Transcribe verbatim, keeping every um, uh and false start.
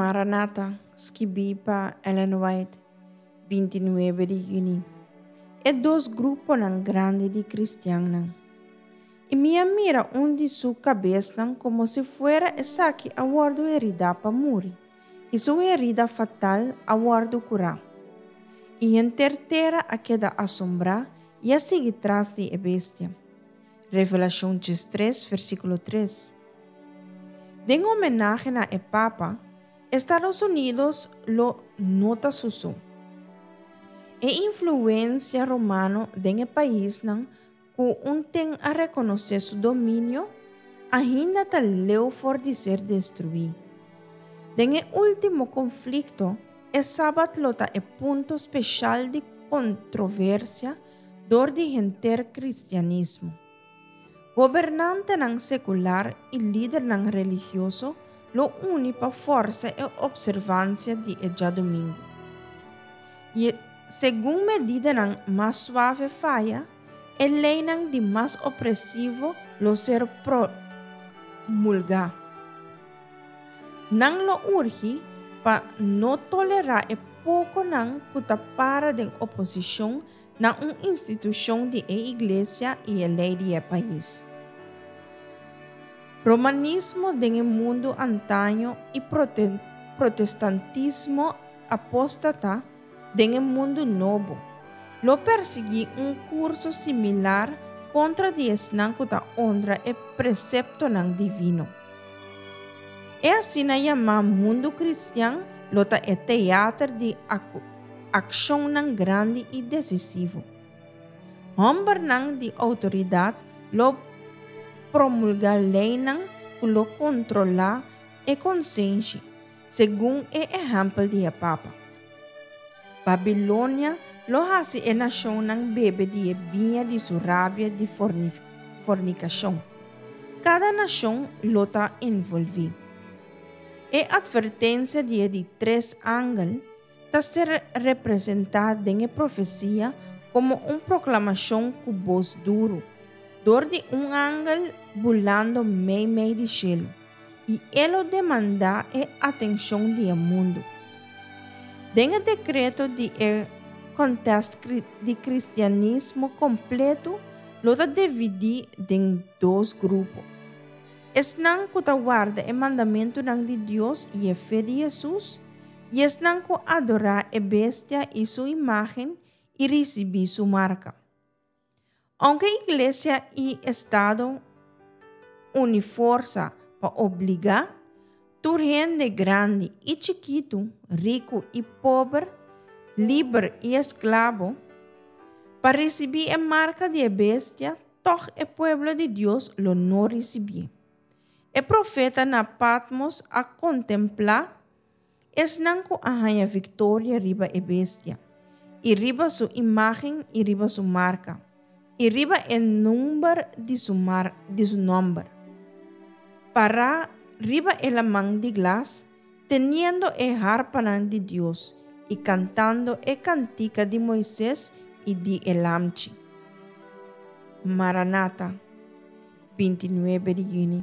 Maranata, skibí pa Ellen White, binti nuebe di yüni. E dos gruponan grandi di kristiannan. I mi a mira un di su kabesnan komo si fuera esaki a wòrdu heridá pa muri, i su herida fatal a wòrdu kurá. I henter tera a keda asombrá i a sigui tras di e bestia. Revelashon diestres, versíkulo tres. Den homenahe na e Papa, Estados Unidos lo no ta su so. E influensia romano den e paisnan ku un ten a rekonosé su dominio, ainda ta leu for di ser destruí. Den e último konflikto, e sabat lo ta e punto spesial di kontroversia dor di henter kristianismo. Gobernantenan sekular i lidernan religioso lo uni pa forsa e opservansia di e djadumingu. I segun medidanan mas suave faya, e leinan di mas opresivo lo ser promulgá. Nan lo urgi pa no tolerá e pokonan ku ta para den oposishon na un institushon di e iglesia i e lei di e pais. Romanismo den e mundu antaño i protestantismo apóstata den e mundu nobo lo persiguí un kurso similar kontra di esnan ku ta honra e preseptonan divino. E asina yamá mundu kristian lo ta e teater di akshonnan grandi i desisivo. Hòmbernan di outoridat lo promulgá leinan ku lo kontrolá e konsenshi, segun e ehèmpel di e Papa. Babilonia lo hasi e nashonnan bebe di e biña di su rabia di fornikashon. Kada nashon lo ta envolví. E atvertensia di e di tres angel ta ser representá den e profesia komo un proklamashon ku bos duru, dor di un angel bulando meimei di shelu, i e lo demandá e atenshon di e mundu. Den e dekreto di e kontest di kristianismo kompleto lo ta dividí den dos grupo. Esnan ku ta warda e mandamentunan di Dios i e fe di Hesus, i esnan ku adorá e bestia i su imágen i risibí su marka. Ounke iglesia i estado uni forsa pa obligá tur hende grandi i chikitu, riku i pober, liber i esklabo, pa risibí e marka di e bestia, tòg e pueblo di Dios lo no risibié. E profeta na Patmos a kontemplá esnan ku a haña viktoria riba e bestia, i riba su imágen i riba su marka, i riba e number di su mar di su nòmber. Pará riba e laman di glas, teniendo e harpanan di Dios i kantando e kantika di Moises i di e Lamchi. Maranata, binti nuebe di yüni.